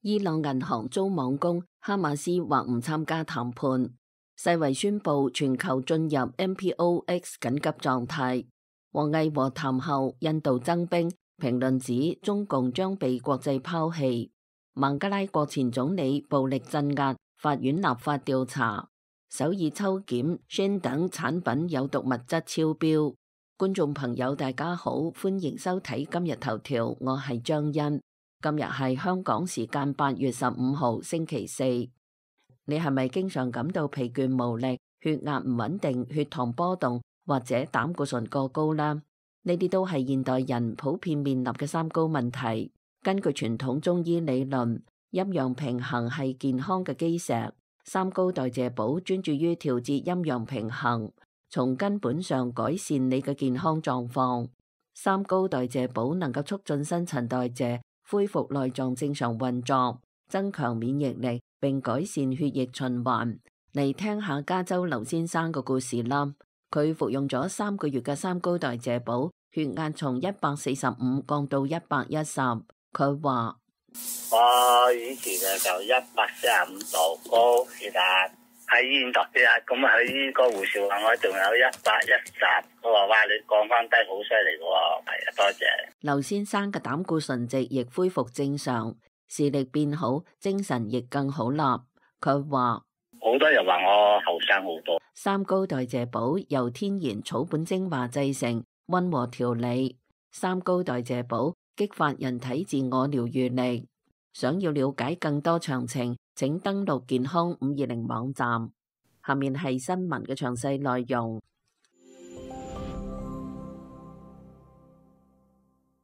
伊朗銀行遭網攻，哈馬斯或唔參加談判。世衛宣布全球進入 MPOX 緊急狀態。王毅和談後，印度增兵，評論指中共將被國際拋棄。孟加拉國前總理暴力鎮壓，法院立法調查。首爾抽檢 Shin 等產品有毒物質超標。觀眾朋友大家好，歡迎收睇今日頭條，我係張欣。今日係香港時間8月15號星期四。你係咪經常感到疲倦無力、血壓唔穩定、血糖波動或者膽固醇過高呢？呢啲都係現代人普遍面臨嘅三高問題。根據傳統中醫理論，陰陽平衡係健康嘅基石。三高代謝寶專注於調節陰陽平衡，從根本上改善你嘅健康狀況。三高代謝寶能夠促進新陳代謝，恢復內臟正常運作，增強免疫力，並改善血液循環。嚟聽下加州劉先生嘅故事啦。佢服用咗3個月嘅三高代謝寶，血壓從145降到110。佢話：我以前就145度高血壓，喺醫院度血壓，咁喺呢個護士話我仲有110，佢話哇，你降翻低好犀利嘅喎，係啊，多謝。劉先生嘅膽固醇值亦恢復正常，視力變好，精神亦更好啦。佢話好多人話我後生好多。三高代謝寶由天然草本精華製成，溫和調理。三高代謝寶激發人體自我療癒力。想要了解更多詳情，請登錄健康520網站。下面係新聞嘅詳細內容。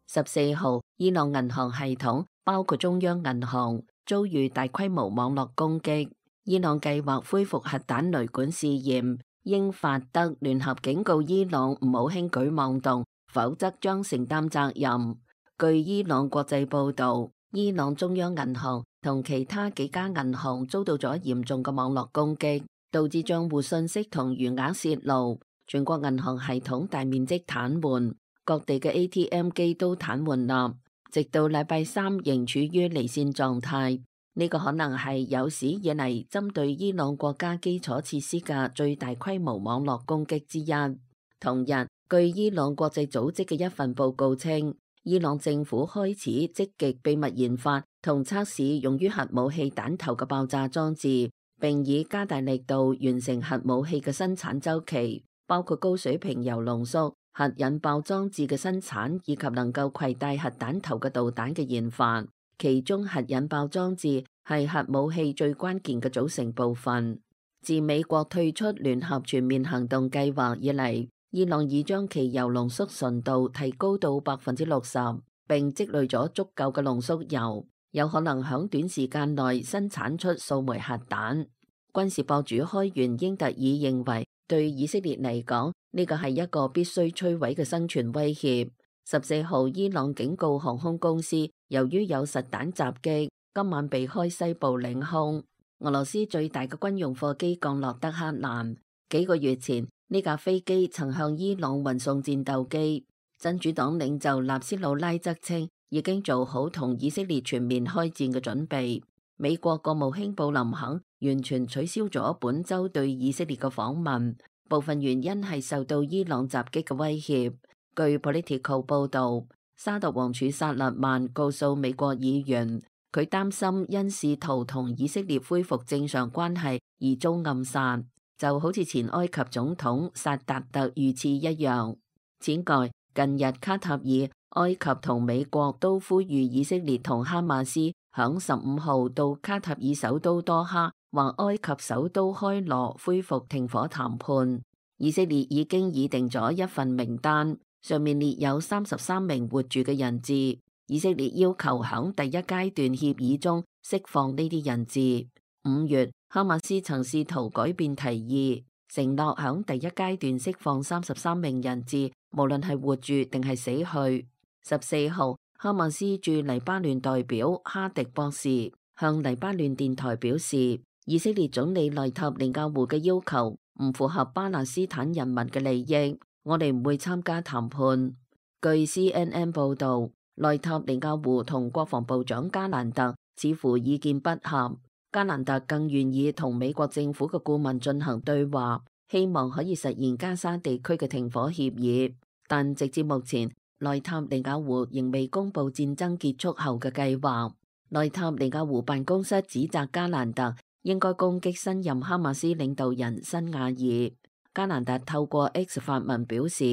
14號，伊朗銀行系統包括中央銀行遭遇大規模網絡攻擊。伊朗計劃恢復核彈雷管試驗，英法德聯合警告伊朗唔好輕舉妄動，否則將承擔責任。據伊朗國際報導，伊朗中央銀行同其他幾家銀行遭到咗嚴重嘅網絡攻擊，導致帳戶信息同餘額泄露，全國銀行系統大面積癱瘓，各地嘅 ATM 機都癱瘓啦，直到禮拜三仍處於離線狀態。呢個可能係有史以嚟針對伊朗國家基礎設施嘅最大規模網絡攻擊之一。同日，據伊朗國際組織嘅一份報告稱，伊朗政府開始積極秘密研發同測試用於核武器彈頭嘅爆炸裝置，並以加大力度完成核武器嘅生產週期，包括高水平鈾濃縮、核引爆裝置嘅生產以及能夠攜帶核彈頭嘅導彈嘅研發。其中核引爆裝置係核武器最關鍵嘅組成部分。自美國退出聯合全面行動計劃以嚟，伊朗已將其鈾濃縮純度提高到60%，並積累咗足夠嘅濃縮鈾，有可能響短時間內生產出數枚核彈。軍事博主開源英特爾認為，對以色列嚟講，呢個係一個必須摧毀嘅生存威脅。14號，伊朗警告航空公司，由於有實彈襲擊，今晚避開西部領空。俄羅斯最大嘅軍用貨機降落德黑蘭。幾個月前，呢架飛機曾向伊朗運送戰鬥機。真主黨領袖納斯魯拉則稱，已經做好同以色列全面開戰嘅準備。美國國務卿布林肯完全取消咗本週對以色列嘅訪問，部分原因係受到伊朗襲擊嘅威脅。據 Politico 報導，沙特王儲薩勒曼告訴美國議員，佢擔心因試圖同以色列恢復正常關係而遭暗殺，就好似前埃及總統薩達特遇刺一樣。此外，近日卡塔爾、埃及同美國都呼籲以色列同哈馬斯響15號到卡塔爾首都多哈或埃及首都開羅恢復停火談判。以色列已經擬定咗一份名單，上面列有33名活住嘅人質。以色列要求響第一階段協議中釋放呢啲人質。5月，哈馬斯曾試圖改變提議，承諾響第一階段釋放33名人質，無論係活住定係死去。14號，哈馬斯駐黎巴嫩代表哈迪博士向黎巴嫩電台表示，以色列總理內塔尼亞胡嘅要求唔符合巴勒斯坦人民嘅利益，我哋唔會參加談判。據 CNN 報導，內塔尼亞胡同國防部長加蘭特似乎意見不合。加蘭特更願意同美國政府嘅顧問進行對話，希望可以實現加沙地區嘅停火協議。但直至目前，內塔尼亞胡仍未公布戰爭結束後嘅計劃。內塔尼亞胡辦公室指責加蘭特應該攻擊新任哈馬斯領導人辛瓦爾。加蘭特透過 X 發文表示，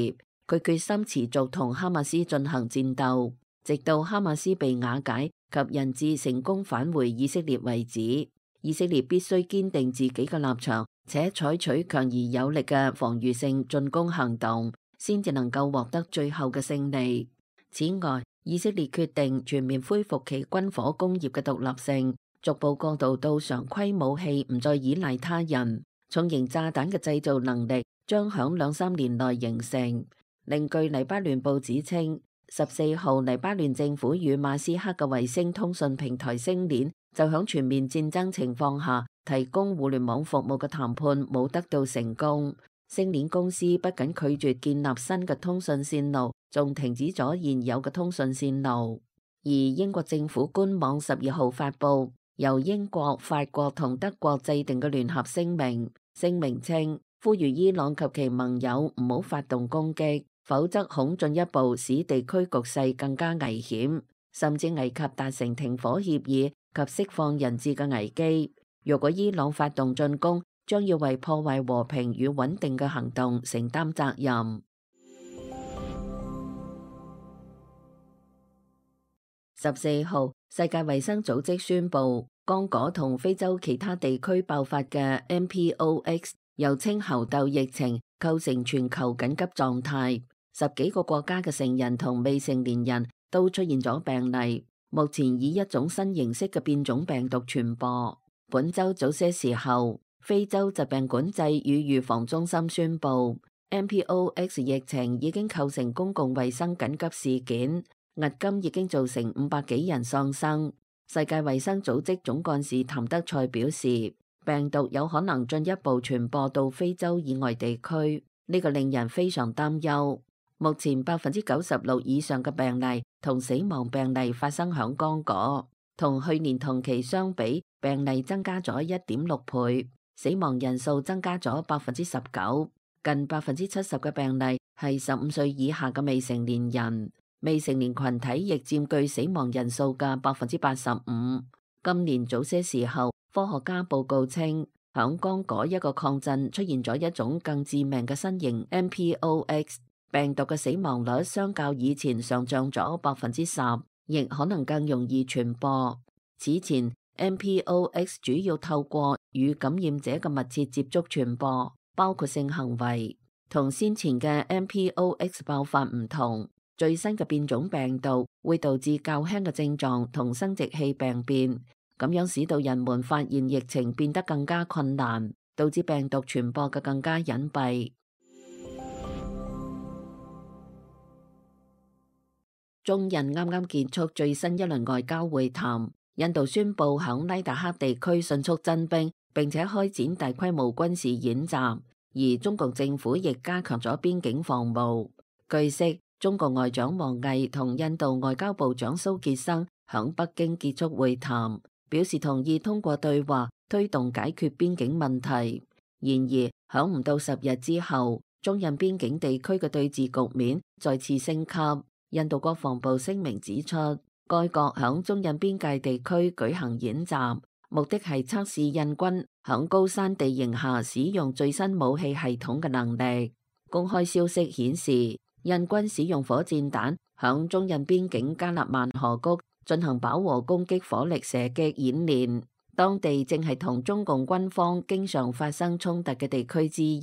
佢決心持續同哈馬斯進行戰鬥，直到哈馬斯被瓦解及人質成功返回以色列為止。以色列必須堅定自己嘅立場，且採取強而有力嘅防禦性進攻行動，先至能夠獲得最後嘅勝利。此外，以色列決定全面恢復其軍火工業嘅獨立性，逐步過渡到常規武器唔再依賴他人。重型炸彈嘅製造能力將響2-3年內形成。另據黎巴嫩報紙稱，14號黎巴嫩政府與馬斯克嘅衛星通訊平台星鏈就響全面戰爭情況下提供互聯網服務嘅談判冇得到成功。星鏈公司不僅拒絕建立新嘅通訊線路，仲停止咗現有嘅通訊線路。而英國政府官網12號發布由英國、法國同德國制定嘅聯合聲明，聲明稱呼籲伊朗及其盟友唔好發動攻擊，否則恐進一步使地區局勢更加危險，甚至危及達成停火協議及釋放人質嘅危機。若果伊朗發動進攻，將要為破壞和平與穩定嘅行動承擔責任。14號，世界衛生組織宣布，剛果同非洲其他地區爆發嘅 MPOX， 又稱猴痘疫情，構成全球緊急狀態。10幾個國家嘅成人同未成年人都出現咗病例，目前以一種新形式嘅變種病毒傳播。本週早些時候，非洲疾病管制與預防中心宣布 MPOX 疫情已經構成公共衛生緊急事件，迄今已經造成500幾人喪生。世界衛生組織總幹事譚德塞表示，病毒有可能進一步傳播到非洲以外地區，呢個令人非常擔憂。目前96%以上嘅病例同死亡病例發生響剛果，同去年同期相比，病例增加咗1.6倍，死亡人數增加咗19%，近70%嘅病例係15歲以下嘅未成年人，未成年群體亦佔據死亡人數嘅85%。今年早些時候，科學家報告稱，響剛果一個礦鎮出現咗一種更致命嘅新型 MPOX。病毒嘅死亡率相較以前上漲咗10%，亦可能更容易傳播。此前 MPOX 主要透過與感染者嘅密切接觸傳播，包括性行為。同先前嘅 MPOX 爆發唔同，最新嘅變種病毒會導致較輕嘅症狀同生殖器病變，咁樣使到人們發現疫情變得更加困難，導致病毒傳播嘅更加隱蔽。中印啱啱結束最新一輪外交會談，印度宣布響拉達克地區迅速增兵，並且開展大規模軍事演習，而中共政府亦加強咗邊境防務。據悉，中國外長王毅同印度外交部長蘇傑生響北京結束會談，表示同意通過對話推動解決邊境問題。然而，響唔到10日之後，中印邊境地區嘅對峙局面再次升級。印度國防部聲明指出，該國響中印邊界地區舉行演習，目的係測試印軍響高山地形下使用最新武器系統嘅能力。公開消息顯示，印軍使用火箭彈響中印邊境加納萬河谷進行飽和攻擊火力射擊演練，當地正係同中共軍方經常發生衝突嘅地區之一。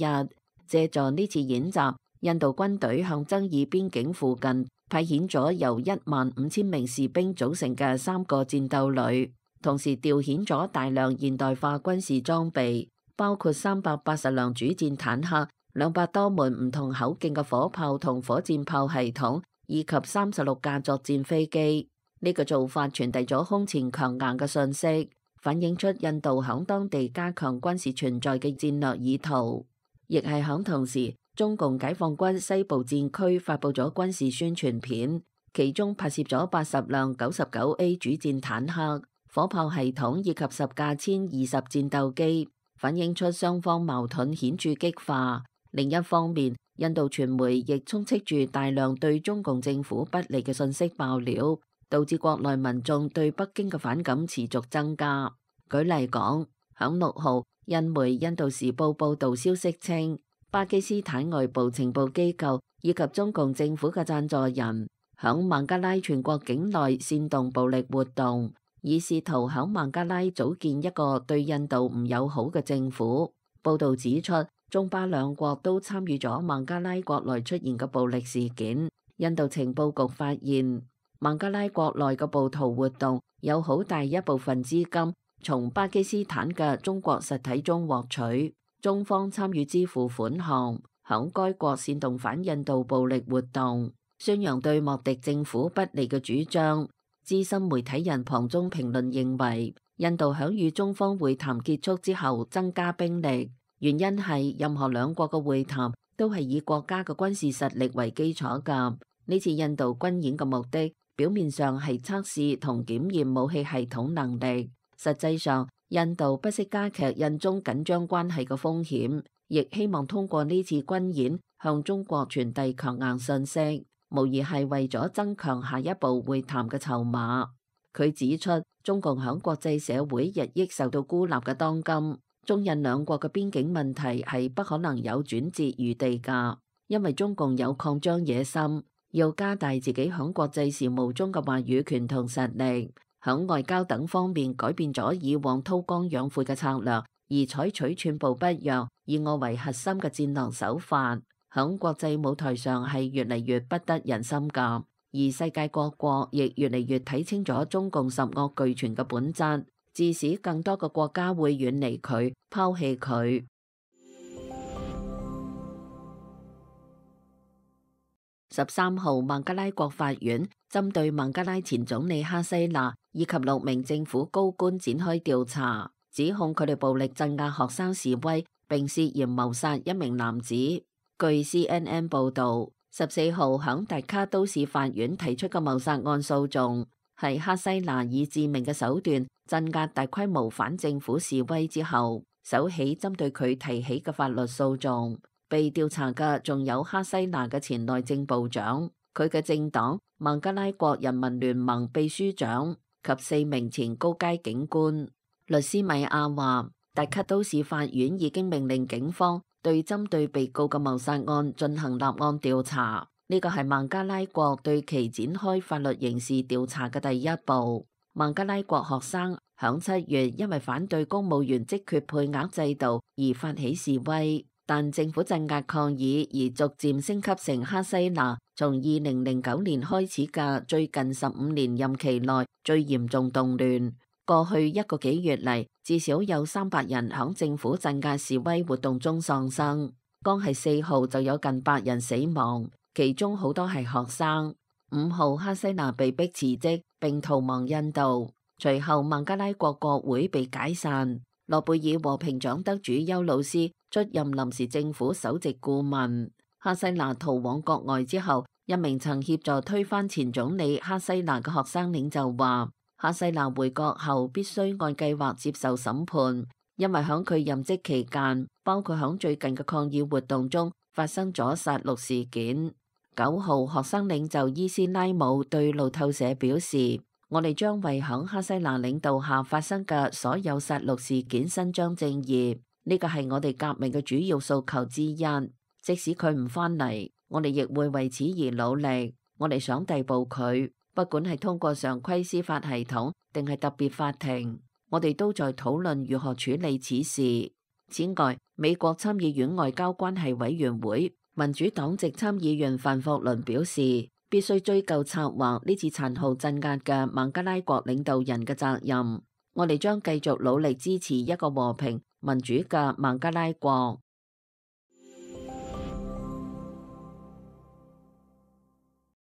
借助呢次演習，印度軍隊向爭議邊境附近派遣咗由15000名士兵組成嘅3個戰鬥旅，同時調遣咗大量現代化軍事裝備，包括380輛主戰坦克、200多門唔同口徑嘅火炮同火箭炮系統，以及36架作戰飛機。呢個做法傳遞咗空前強硬嘅信息，反映出印度響當地加強軍事存在嘅戰略意圖。亦係響同時，中共解放軍西部戰區發布咗軍事宣傳片，其中拍攝咗80輛99A 主戰坦克、火炮系統以及10架殲20戰鬥機，反映出雙方矛盾顯著激化。另一方面，印度傳媒亦充斥住大量對中共政府不利嘅信息爆料，導致國內民眾對北京嘅反感持續增加。舉例講，響6號，印媒《印度時報》報導消息稱，巴基斯坦外部情報機構以及中共政府嘅贊助人響孟加拉全國境內煽動暴力活動，以試圖響孟加拉組建一個對印度唔友好嘅政府。報導指出，中巴兩國都參與咗孟加拉國內出現嘅暴力事件。印度情報局發現，孟加拉國內嘅暴徒活動有好大一部分資金從巴基斯坦嘅中國實體中獲取，中方參與支付款項，響該國煽動反印度暴力活動，宣揚對莫迪政府不利嘅主張。資深媒體人龐中評論認為，印度響與中方會談結束之後增加兵力，原因係任何兩國嘅會談都係以國家嘅軍事實力為基礎㗎。呢次印度軍演嘅目的，表面上係測試同檢驗武器系統能力，實際上印度不惜加劇印中緊張關係嘅風險，亦希望通過呢次軍演向中國傳遞強硬信息，無疑係為咗增強下一步會談嘅籌碼。佢指出，中共響國際社會日益受到孤立嘅當今，中印兩國嘅邊境問題係不可能有轉折餘地㗎，因為中共有擴張野心，要加大自己響國際事務中嘅話語權同實力，響外交等方面改變咗以往韜光養晦嘅策略，而採取寸步不讓、以我為核心嘅戰略手法，響國際舞台上係越嚟越不得人心㗎。而世界各國亦越嚟越睇清咗中共十惡俱全嘅本質，致使更多嘅國家會遠離佢、拋棄佢。13號，孟加拉國法院針對孟加拉前總理哈西娜以及6名政府高官展開調查，指控佢哋暴力鎮壓學生示威，並涉嫌謀殺一名男子。據 CNN 報導，14號響達卡都市法院提出嘅謀殺案訴訟，係哈西娜以致命嘅手段鎮壓大規模反政府示威之後，首起針對佢提起嘅法律訴訟。被調查嘅仲有哈西娜嘅前內政部長、佢嘅政黨孟加拉國人民聯盟秘書長及4名前高階警官。律師米亞話，達卡都市法院已經命令警方對針對被告嘅謀殺案進行立案調查，呢個係孟加拉國對其展開法律刑事調查嘅第一步。孟加拉國學生響7月因為反對公務員職缺配額制度而發起示威，但政府鎮壓抗議而逐漸升級成哈西娜從2009年開始嘅最近15年任期內最嚴重動亂。過去1個幾月嚟，至少有300人響政府鎮壓示威活動中喪生，剛係4號就有近100人死亡，其中好多係學生。5號，哈西娜被迫辭職並逃亡印度，隨後孟加拉國國會被解散，諾貝爾和平獎得主邱老師出任臨時政府首席顧問。哈西娜逃往國外之後，一名曾協助推翻前總理哈西娜嘅學生領袖話，哈西娜回國後必須按計劃接受審判，因為響佢任職期間，包括響最近嘅抗議活動中發生咗殺戮事件。9號，學生領袖伊斯拉姆對路透社表示，我哋將為響哈西娜領導下發生嘅所有殺戮事件伸張正義，呢個係我哋革命嘅主要訴求之一。即使佢唔返嚟，我哋亦會為此而努力。我哋想逮捕佢，不管係通過常規司法系統定係特別法庭，我哋都在討論如何處理此事。此外，美國參議院外交關係委員會民主黨籍參議員范霍倫表示，必須追究策劃呢次殘酷鎮壓嘅孟加拉國領導人嘅責任。我哋將繼續努力支持一個和平民主嘅孟加拉國。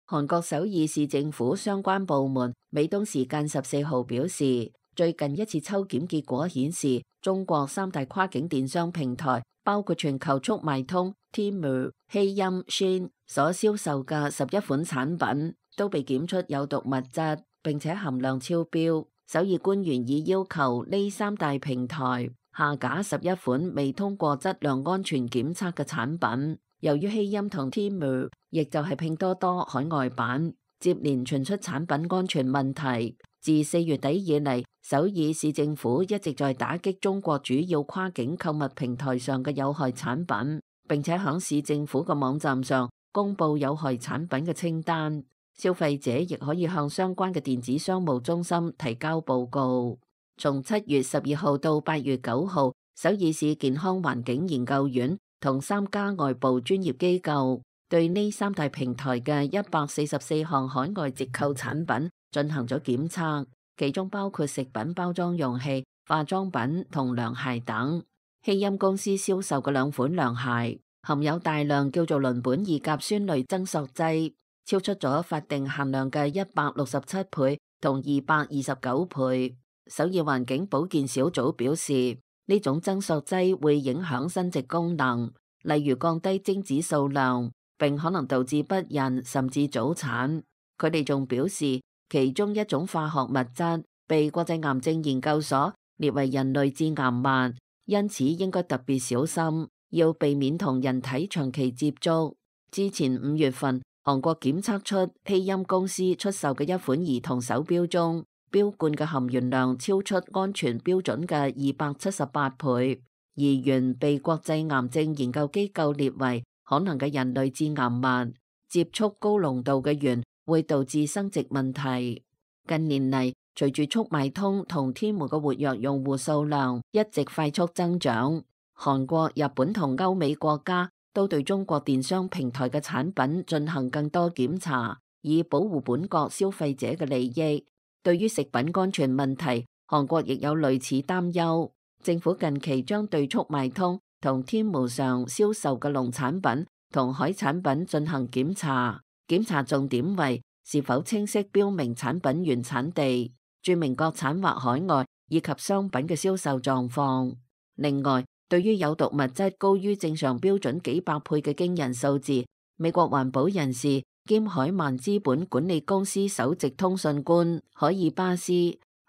韓國首爾市政府相關部門美東時間14號表示，最近一次抽檢結果顯示，中國3大跨境電商平台，包括全球速賣通、Temu、希音、Shein 所銷售嘅11款產品都被檢出有毒物質，並且含量超標。首爾官員已要求呢三大平台下架11款未通過質量安全檢測嘅產品。由於希音同 Temu， 亦就係拼多多海外版，接連傳出產品安全問題。自4月底以嚟，首爾市政府一直在打擊中國主要跨境購物平台上嘅有害產品，並且響市政府嘅網站上公布有害產品嘅清單。消費者亦可以向相關嘅電子商務中心提交報告。從7月12號到8月9號，首爾市健康環境研究院同3家外部專業機構對呢三大平台嘅144項海外折扣產品進行咗檢測，其中包括食品包裝用器、化妝品同涼鞋等。希音公司銷售嘅兩款涼鞋含有大量叫做鄰苯二甲酸類增塑劑，超出咗法定限量嘅167倍同229倍。首爾環境保健小組表示，呢種增塑劑會影響生殖功能，例如降低精子數量，並可能導致不孕甚至早產。佢哋仲表示，其中一種化學物質被國際癌症研究所列為人類致癌物，因此應該特別小心，要避免同人體長期接觸。之前5月份，韓國檢測出希音公司出售嘅一款兒童手錶中，錶冠嘅含鉛量超出安全標準嘅278倍，而鉛被國際癌症研究機構列為可能嘅人類致癌物。接觸高濃度嘅鉛會導致生殖問題。近年嚟，隨住速賣通同天門嘅活躍用戶數量一直快速增長，韓國、日本同歐美國家都對中國電商平台嘅產品進行更多檢查，以保護本國消費者嘅利益。對於食品安全問題，韓國亦有類似擔憂。政府近期將對速賣通同天門上銷售嘅農產品同海產品進行檢查，檢查重點為是否清晰標明產品原產地、註明國產或海外以及商品嘅銷售狀況。另外，對於有毒物質高於正常標準幾百倍嘅驚人數字，美國環保人士兼海曼資本管理公司首席通訊官海爾巴斯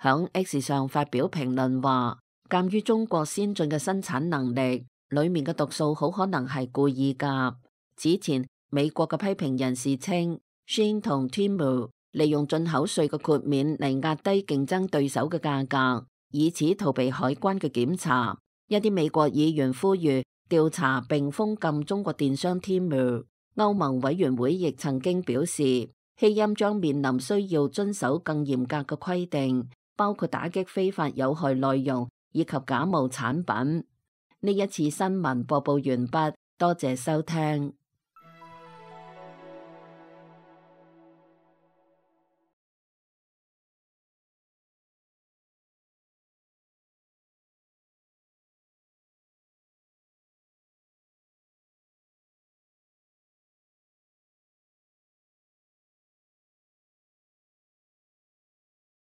響 X 上發表評論話，鑒於中國先進嘅生產能力，裡面嘅毒素好可能係故意㗎。此前，美國嘅批評人士稱，Shein 同 Temu 利用進口稅嘅豁免嚟壓低競爭對手嘅價格，以此逃避海關嘅檢查。一啲美國議員呼籲調查並封禁中國電商 Temu。歐盟委員會亦曾經表示，希音將面臨需要遵守更嚴格嘅規定，包括打擊非法有害內容以及假冒產品。呢一次新聞播報完畢，多謝收聽。